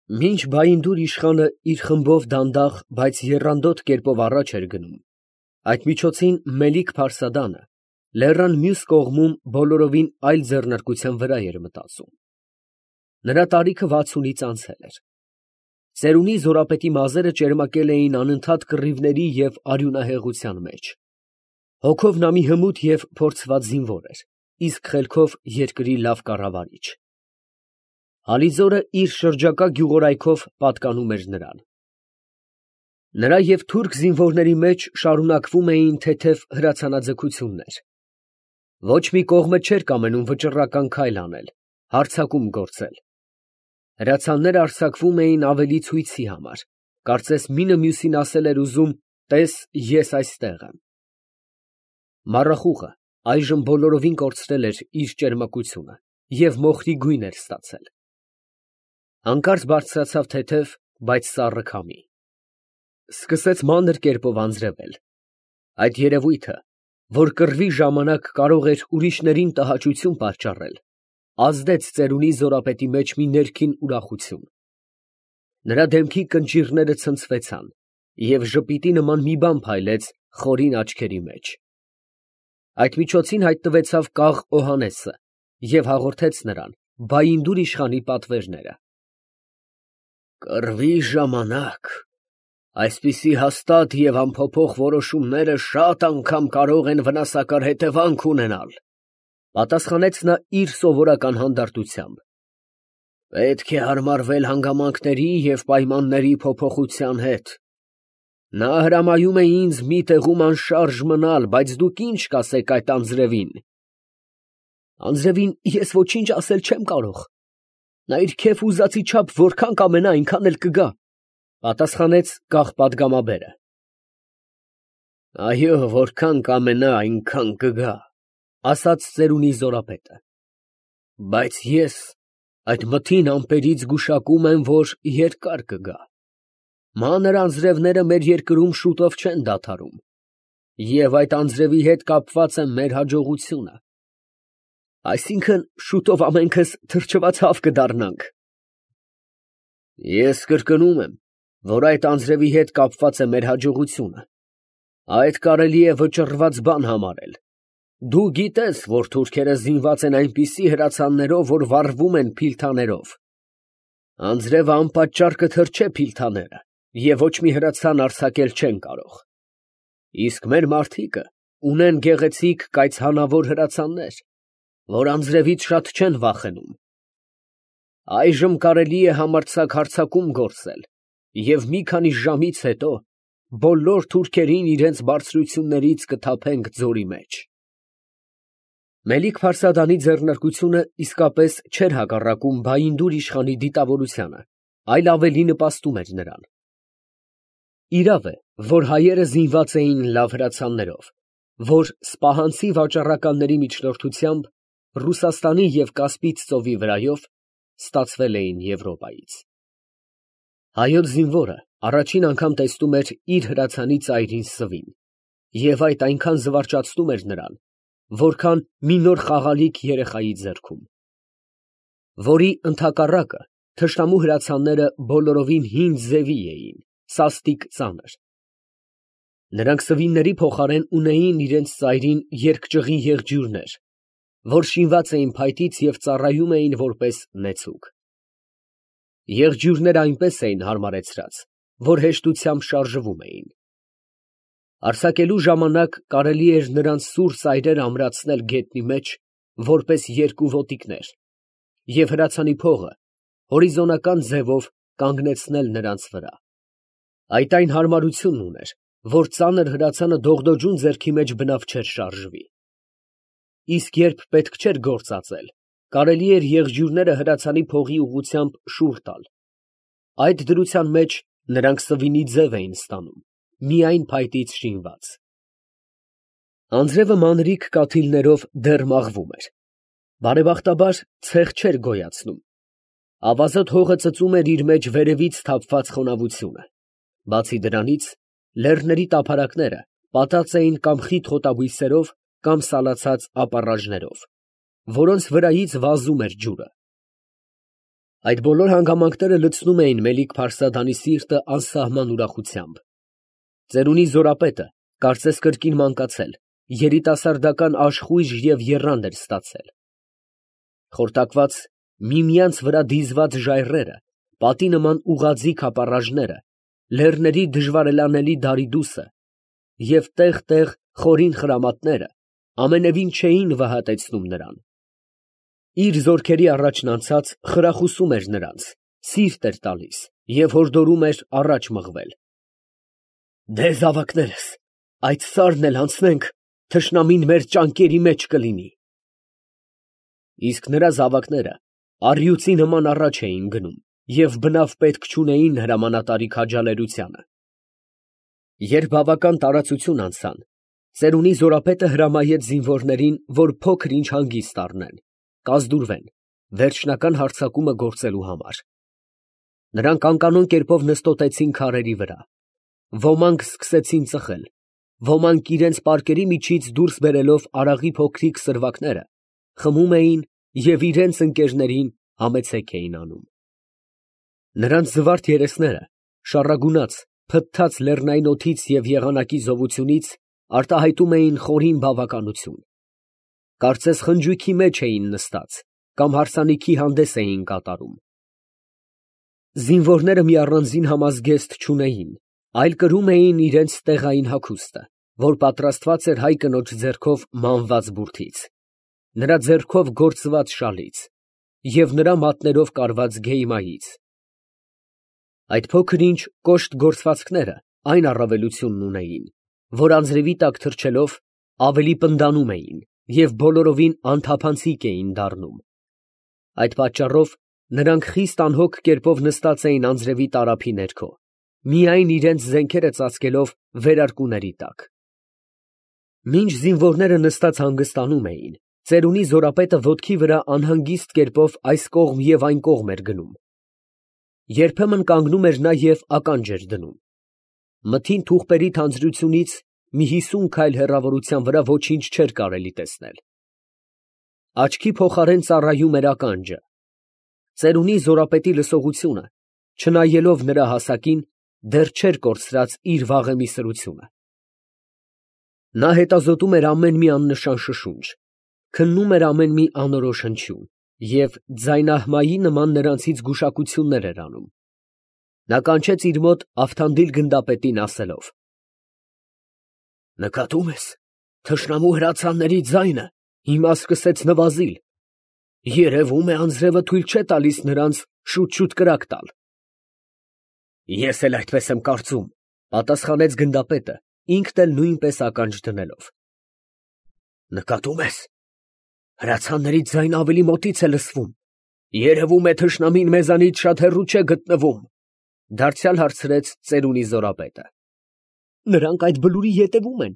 Մինչ Բայնդուր իշխանը իր խմբով դանդաղ, բայց եռանդոտ կերպով առաջ էր գնում, այդ միջոցին Մելիք-Փարսադանը լեռան մյուս կողմում բոլորովին այլ ձեռնարկության վրա էր մտածում. նրա տարիքը 60-ից անցել էր։ Ծերունի զորապետի մազերը ճերմակել էին անընդհատ կռիվների և արյունահեղության մեջ։ Հոգով նա մի հմուտ և փորձված զինվոր էր, իսկ խելքով երկրի լավ կառավարիչ։ Ալիզորը իր շրջակա գյուղորայքով պատկանում էր նրան։ Նրա և թուրք զինվորների մեջ շարունակվում էին թեթև հրացանաձգություններ։ Ոչ մի կողմը չէր կամենում վճռական քայլ անել, հարձակում գործել։ Հրացանները արձակվում էին ավելի ցույցի համար, կարծես մինը մյուսին ասել էր ուզում. «Տես, ես այստեղ եմ»։ Մառախուղը այժմ բոլորովին կորցրել էր իր ճերմակությունը և մոխրի գույն էր ստացել։ Հանկարծ բարձրացավ թեթև, բայց սառը քամի։ Սկսեց մանր կերպով անձրևել։ Այդ երևույթը, որ կռվի ժամանակ կարող էր ուրիշներին տհաճություն պատճառել, ազդեց ծերունի զորապետի մեջ մի ներքին ուրախություն։ Նրա դեմքի կնճիռները ցնցվեցան, և ժպիտի նման մի բան փայլեց խորին աչքերի մեջ։ Այդ միջոցին հայտնվեցավ կաղ Օհաննեսը և հաղորդեց նրան Բայնդուր իշխանի պատվերները։ «Կռվի ժամանակ այսպիսի հաստատ և անփոփոխ որոշումները շատ անգամ կարող են վնասակար հետևանք ունենալ», պատասխանեց նա իր սովորական հանդարտությամբ։ «Պետք է հարմարվել հանգամանքների և պայմանների փոփոխության հետ։ Նա հրամայում է ինձ մի տեղում անշարժ մնալ, բայց դուք ինչ կասեք այդ անձրևին»։ «Անձրևին ես ոչինչ ասել չեմ կարող. նա իր քեֆ ուզածի չափ որքան կամենա, այնքան էլ կգա», պատասխանեց կախ պատգամաբերը։ «Այո, որքան կամենա, այնքան կգա», ասաց ծերունի զորապետը։ «Բայց ես այդ մթին ամպերից գուշակում եմ, որ երկար կգա։ Մանր անձրևները մեր երկրում շուտով չեն դադարում, և այդ անձրևի հետ կապված է մեր հաջողությունը։ Այսինքն, շուտով ամենքս թրջվածավ կդառնանք»։ «Ես կրկնում եմ, որ այդ անձրևի հետ կապված է մեր հաջողությունը։ Այդ կարելի է վճռված բան համարել։ Դու գիտես, որ թուրքերը զինված են այնպիսի հրացաններով, որ վառվում են փիլթաներով։ Անձրևը անպատճառ կթրջե փիլթաները, և ոչ մի հրացան արձակել չեն կարող։ Իսկ մեր մարդիկը ունեն գեղեցիկ կայծհանավոր հրացաններ, որ անձրևից շատ չեն վախենում։ Այժմ կարելի է համարձակ հարձակում գործել, և մի քանի ժամից հետո բոլոր թուրքերին իրենց բարձրություններից կթափենք ձորի մեջ»։ Մելիք-Փարսադանի ձեռնարկությունը իսկապես չէր հակառակում Բայնդուր իշխանի դիտավորությանը, այլ ավելի նպաստում էր նրան։ Իրավ է, որ հայերը զինված էին լավ հրացաններով, որ սպահանցի վաճառականների միջնորդությամբ Ռուսաստանի և Կասպից ծովի վրայով ստացվել էին Եվրոպայից։ Հայոց զինվորը առաջին անգամ տեսնում էր իր հրացանի ծայրին սվին, և այդ այնքան զվարճացնում էր նրան, որքան մի նոր խաղալիք երեխայի ձեռքում, որի ընդհակառակը թշնամու հրացանները բոլորովին հին ձևի էին, սաստիկ ծանր։ Նրանք սվինների փոխարեն ունեին իրենց ծայրին երկճղի եղջյուրներ, որ շինված էին փայտից և ծառայում էին որպես նեցուկ։ Եղջյուրները այնպես էին հարմարեցրած, որ հեշտությամբ շարժվում էին։ Արձակելու ժամանակ կարելի էր նրանց սուր ծայրերը ամրացնել գետնի մեջ, որպես երկու ոտիկներ, և հրացանի փողը հորիզոնական ձևով կանգնեցնել նրանց վրա։ Այդ այն հարմարությունն ուներ, որ ծանր հրացանը դողդոջուն ձեռքի մեջ բնավ չէր շարժվի։ Իսկ երբ պետք չէր գործածել, կարելի էր եղջյուրները հրացանի փողի ուղղությամբ շուռ տալ։ Այդ դրության մեջ նրանք սվինի ձև էին ստանում, միայն փայտից շինված։ Անձրևը մանրիկ կաթիլներով դեռ մաղվում էր։ Բարեբախտաբար ցեխ չէր գոյացնում։ Ավազոտ հողը ծծում էր իր մեջ վերևից թափված խոնավությունը։ Բացի դրանից, լեռների տափարակները պատած էին կամ խիտ խոտաբույսերով, կամ սալացած ապառաժներով, որոնց վրայից վազում էր ջուրը։ Այդ բոլոր հանգամանքները լցնում էին Մելիք Փարսադանի սիրտը անսահման ուրախությամբ։ Ծերունի Զորապետը կարծես կրկին մանկացել, երիտասարդական աշխույժ և եռանդ էր ստացել։ Խորտակված, միմյանց վրա դիզված ժայռերը, պատի նման ուղղաձիգ ապառաժները, լեռների դժվարելանելի դարիդուսը և տեղ֊տեղ խորին խրամատները ամենևին չէին վհատեցնում նրան։ Իր զորքերի առաջն անցած խրախուսում էր նրանց, սիրտ էր տալիս և հորդորում էր առաջ մղվել։ «Դե զավակներս, այդ սարն էլ անցնենք, թշնամին մեր ճանկերի մեջ կլինի»։ Իսկ նրա զավակները առյուծի նման առաջ էին գնում և բնավ պետք չունեին հրամանատարի քաջալերությանը։ Երբ բավական տարածություն անցան, ծերունի Զորապետը հրամայեց զինվորներին, որ փոքր ինչ հանգիստ առնեն, կազդուրվեն, վերջնական հարձակումը գործելու համար։ Նրանք անկանոն կերպով նստոտեցին քարերի վրա։ Ոմանք սկսեցին ծխել, ոմանք իրենց պարկերի միջից դուրս բերելով արաղի փոքրիկ սրվակները, խմում էին և իրենց ընկերներին համեցեք էին անում։ Նրանց զվարթ երեսները, շառագունած, փթթած լեռնային օդից և եղանակի զովությունից արտահայտում էին խորին բավականություն։ Կարծես խնջույքի մեջ էին նստած կամ հարսանիքի հանդես էին կատարում։ Զինվորները մի առանձին համազգեստ չունեին, այլ կրում էին իրենց տեղային հագուստը, որ պատրաստված էր հայ կնոջ ձեռքով մանված բուրդից, նրա ձեռքով գործված շալից և նրա մատներով կարված գեյմայից։ Այդ փոքր ինչ կոշտ գործվածքները այն առավելությունն ունեին, որ անձրևի տակ թռչելով ավելի պնդանում էին և բոլորովին անթափանցիկ էին դառնում։ Այդ պատճառով նրանք խիստ անհոգ կերպով նստած էին անձրևի տարափի ներքո, միայն իրենց զենքերը ծածկելով վերարկուների տակ։ Մինչ զինվորները նստած հանգստանում էին, ծերունի Զորապետը ոտքի վրա անհանգիստ կերպով այս կողմ և այն կողմ էր գնում։ Երբեմն կանգնում էր նա և ականջ էր դնում։ Մթին թուղթերի թանձրությունից մի 50 քայլ հեռավորության վրա ոչինչ չէր կարելի տեսնել։ Աչքի փոխարեն ծառայում էր ականջը։ Ծերունի Զորապետի լսողությունը, չնայելով նրա հասակին, դեռ չէր կորցրած իր վաղեմի սրությունը։ Նա հետազոտում էր ամեն մի աննշան շշունչ, քննում էր ամեն մի անորոշ հնչյուն և ձայնահմայի նման նրանցից գուշակություններ էր անում։ Նա կանչեց իր մոտ Ավթանդիլ գնդապետին, ասելով. «Նկատում ես, թշնամու հրացանների ձայնը հիմա սկսեց նվազիլ. երևում է, անձրևը թույլ չէ տալիս նրանց շուտ կրակ տալ»։ Ես էլ այդպես եմ կարծում, պատասխանեց գնդապետը, ինքն էլ նույնպես ականջ դնելով։ Նկատում ես, հրացանների ձայնը ավելի մոտից է լսվում, երևում է թշնամին մեզանից շատ հեռու չէ գտնվում, դարձյալ հարցրեց ծերունի Զորապետը։ Նրանք այդ բլուրի ետևում են։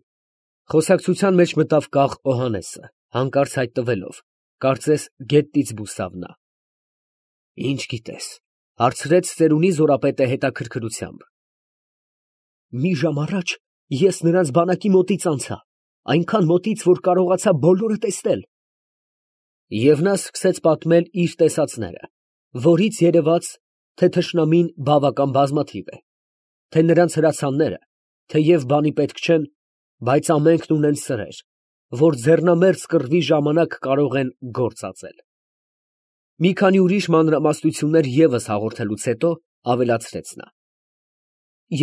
Խոսակցության մեջ մտավ կաղ Օհանեսը, հանկարծ հայտնվելով, կարծես գետնից բուսավ նա։ Ինչ գիտես, հարցրեց ծերունի Զորապետը հետաքրքրությամբ։ Մի ժամ առաջ ես նրանց բանակի մոտից անցա, այնքան մոտից, որ կարողացա բոլորը տեսնել։ Եվ նա սկսեց պատմել իր տեսածները, որից երևաց, թե թշնամին բավական բազմաթիվ է, թե նրանց հրացանները, թեև բանի պետք չեն, բայց ամենքն ունեն սրեր, որ ձեռնամերձ կռվի ժամանակ կարող են գործածել։ Մի քանի ուրիշ մանրամասնություններ ևս հաղորդելուց հետո ավելացրեց նա.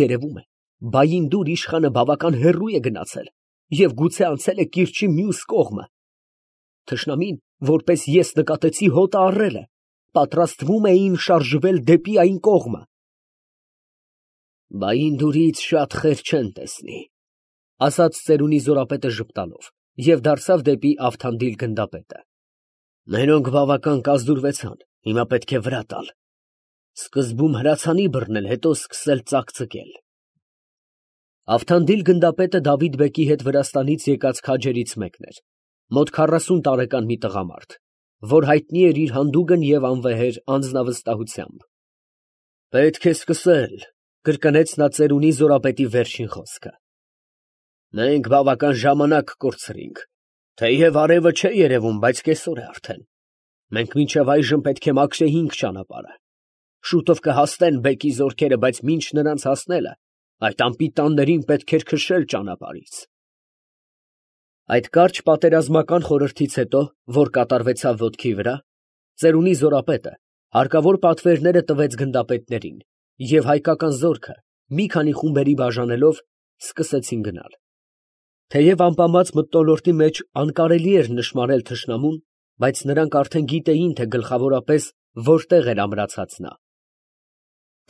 երևում է, Բայինդուր իշխանը բավական հեռու է գնացել և գուցե անցել է կիրճի մյուս կողմը։ Թշնամին, որպես ես նկատեցի, հոտը առել է, պատրաստվում էին շարժվել դեպի այն կողմը։ Բայինդուրից շատ խեր չեն տեսնի, ասաց ծերունի Զորապետը ժպտալով և դարձավ դեպի Ավթանդիլ գնդապետը։ Մերոնք բավական կազդուրվեցան, հիմա պետք է վրա տալ։ Սկզբում հրացանի բռնել, հետո սկսել ծակծկել։ Ավթանդիլ գնդապետը Դավիթ֊բեկի հետ Վրաստանից եկած քաջերից մեկն էր, մոտ 40 տարեկան մի տղամարդ, որ հայտնի էր իր հանդուգն և անվեհեր անձնավստահությամբ։ Պետք է սկսել, կրկնեց նա ծերունի Զորապետի վերջին խոսքը։ Մենք բավական ժամանակ կորցրինք, թեև արևը չէ երևում, բայց կեսօր է արդեն։ Մենք մինչև այժմ պետք է մաքրեինք ճանապարհը։ Շուտով կհասնեն բեկի զորքերը, բայց մինչ նրանց հասնելը, այդ անպիտաններին պետք էր քշել ճանապարհից։ Այդ կարճ պատերազմական խորհրդից հետո, որ կատարվեցավ ոտքի վրա, ծերունի զորապետը հարկավոր պատվերները տվեց գնդապետներին, և հայկական զորքը, մի քանի խումբերի բաժանելով, սկսեցին գնալ։ Թեև ամպամած մթնոլորտի մեջ անկարելի էր նշմարել թշնամուն, բայց նրանք արդեն գիտեին, թե գլխավորապես որտեղ էր ամրացած նա։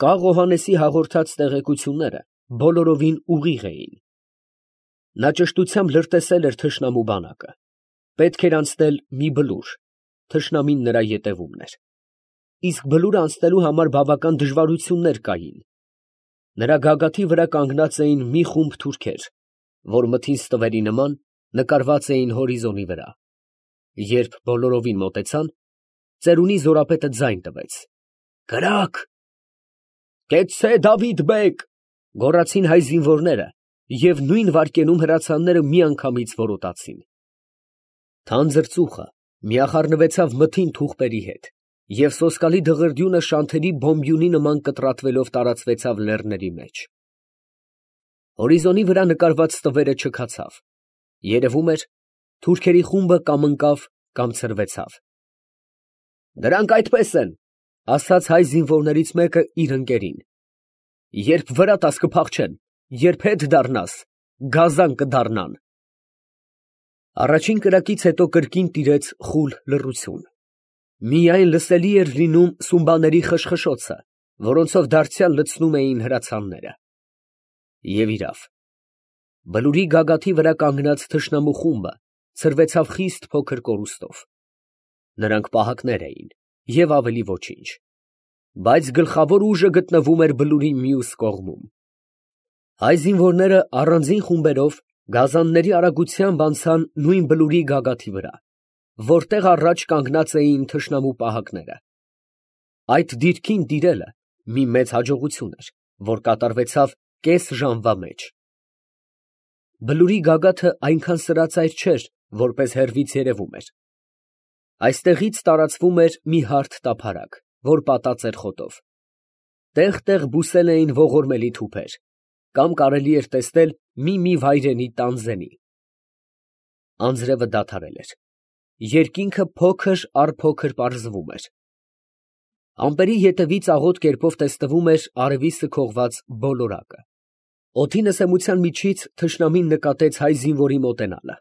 Կաղ Օհաննեսի հաղորդած տեղեկությունները բոլորովին ուղիղ էին։ Նա ճշտությամբ լրտեսել էր թշնամու բանակը։ Պետք էր անցնել մի բլուր, թշնամին նրա ետևումն էր։ Իսկ բլուրը անցնելու համար բավական դժվարություններ կային։ Նրա գագաթի վրա կանգնած էին մի խումբ թուրքեր, որ մթին ստվերի նման նկարված էին հորիզոնի վրա։ Երբ բոլորովին մոտեցան, ծերունի զորապետը ձայն տվեց. «Կրակ»։ «Կեցցե, Դավիթ բեգ», գոռացին հայ զինվորները, և նույն վայրկենում հրացանները միանգամից որոտացին։ Թանձր ծուխը միախառնվեցավ մթին թուղպերի հետ, և սոսկալի դղրդյունը շանթերի բոմբյունի նման կտրատվելով տարածվեցավ լեռների մեջ։ Հորիզոնի վրա նկարված ստվերը չքացավ։ Երևում էր, թուրքերի խումբը կամ ընկավ, կամ ցրվեցավ։ «Դրանք այդպես են», ֊ ասաց հայ զինվորներից մեկը իր ընկերին. «երբ վրա տաս կփախչեն, երբ հետ դառնաս, գազան կդառնան»։ Առաջին կրակից հետո կրկին տիրեց խուլ լռություն։ Միայն լսելի էր լինում սումբաների խշխշոցը, որոնցով դարձյալ լցնում էին հրացանները։ Եվ իրավ, բլուրի գագաթի վրա կանգնած թշնամու խումբը ցրվեցավ խիստ փոքր կորուստով։ Նրանք պահակներ էին և ավելի ոչինչ, բայց գլխավոր ուժը գտնվում էր բլուրի մյուս կողմում։ Հայ զինվորները առանձին խումբերով գազանների արագությամբ անցան նույն բլուրի գագաթի վրա, որտեղ առաջ կանգնած էին թշնամու պահակները։ Այդ դիրքին տիրելը մի մեծ հաջողություն էր, որ կատարվեցավ կես ժամվա մեջ։ Բլուրի գագաթը այնքան սրածայր չէր, որպես հեռվից երևում էր։ Այստեղից տարածվում էր մի հարթ տափարակ, որ պատած էր խոտով։ Տեղ֊տեղ բուսել էին ողորմելի թուփեր, կամ կարելի էր տեսնել մի վայրենի տանձենի։ Անձրևը դադարել էր։ Երկինքը փոքր առ փոքր պարզվում էր։ Ամպերի ետևից աղոտ կերպով տեսնվում էր արևի սքողված բոլորակը։ Օդի նսեմության միջից թշնամին նկատեց հայ զինվորի մոտենալը,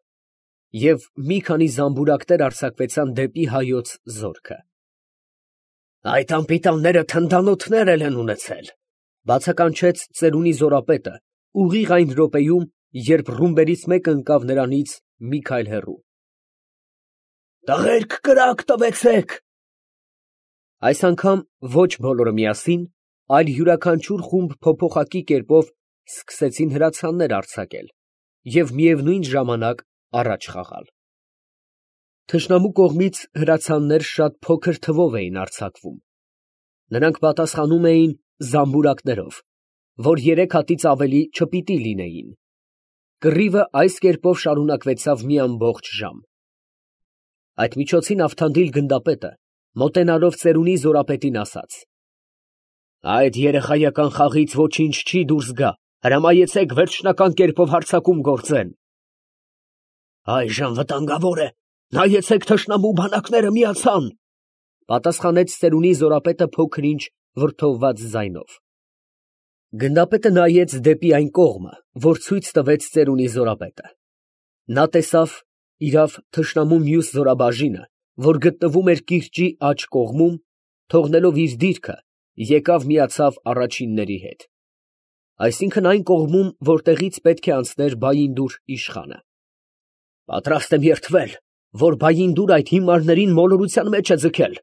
և մի քանի զամբուրակներ արձակվեցան դեպի հայոց զորքը։ «Այդ անպիտանները թնդանոթներ են ունեցել», ֊ բացականչեց ծերունի զորապետը ուղիղ այն րոպեում, երբ ռումբերից մեկը ընկավ նրանից մի քայլ հեռու։ «Տղերք, կրակ տվեցեք»։ Այս անգամ ոչ բոլորը միասին, այլ յուրաքանչյուր խումբ փոփոխակի կերպով սկսեցին հրացաններ արձակել և միևնույն ժամանակ առաջ խաղալ։ Թշնամու կողմից հրացաններ շատ փոքր թվով էին արձակվում։ Նրանք պատասխանում էին զամբուրակներով, որ 3 հատից ավելի չպիտի լինեին։ Կռիվը այս կերպով շարունակվեցավ մի ամբողջ ժամ։ Այդ միջոցին Ավթանդիլ գնդապետը, մոտենալով ծերունի զորապետին, ասաց. «Այդ երեխայական խաղից ոչինչ չի դուրս գա, հրամայեցեք վերջնական կերպով հարձակում գործեն»։ «Այժմ վտանգավոր է, նայեցեք թշնամու բանակները միացան», ֊ պատասխանեց ծերունի զորապետը փոքր-ինչ վրդովված ձայնով։ Գնդապետը նայեց դեպի այն կողմը, որ ցույց տվեց ծերունի զորապետը։ Նա տեսավ, իրավ, թշնամու մյուս զորաբաժինը, որ գտնվում էր կիրճի աջ կողմում, թողնելով իր դիրքը, եկավ միացավ առաջինների հետ։ Այսինքն այն կողմում, որտեղից պետք է անցներ Բայինդուր իշխանը։ «Պատրաստ եմ երդվել, որ Բայինդուր այդ հիմարներին մոլորության մեջ է ձգել։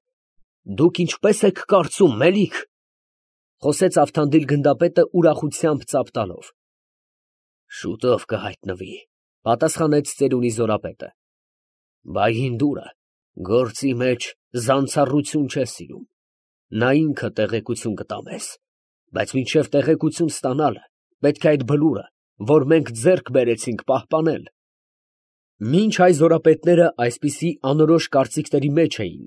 Դուք ինչպես եք կարծում, մելիք», ֊ խոսեց Ավթանդիլ գնդապետը ուրախությամբ ծափ տալով։ «Շուտով կհայտնվի», ֊ պատասխանեց ծերունի զորապետը։ «Բայինդուրը գործի մեջ զանցառություն չէ սիրում։ Նա ինքը տեղեկություն կտա մեզ, բայց մինչև տեղեկություն ստանալը պետք է այդ բլուրը, որ մենք ձեռք բերեցինք, պահպանել»։ Մինչ հայ զորապետները այսպիսի անորոշ կարծիքների մեջ էին,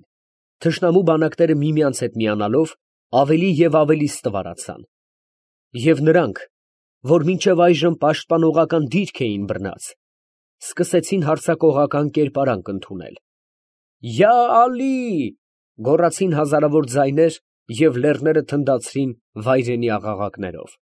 Թշնամու բանակները միմյանց հետ միանալով ավելի և ավելի ստվարացան, և նրանք, որ մինչև այժմ պաշտպանողական դիրք էին բռնած, սկսեցին հարձակողական կերպարանք ընդունել։ «Յա Ալի!» գոռացին հազարավոր ձայներ և լեռները թնդացրին վայրենի աղաղակներով։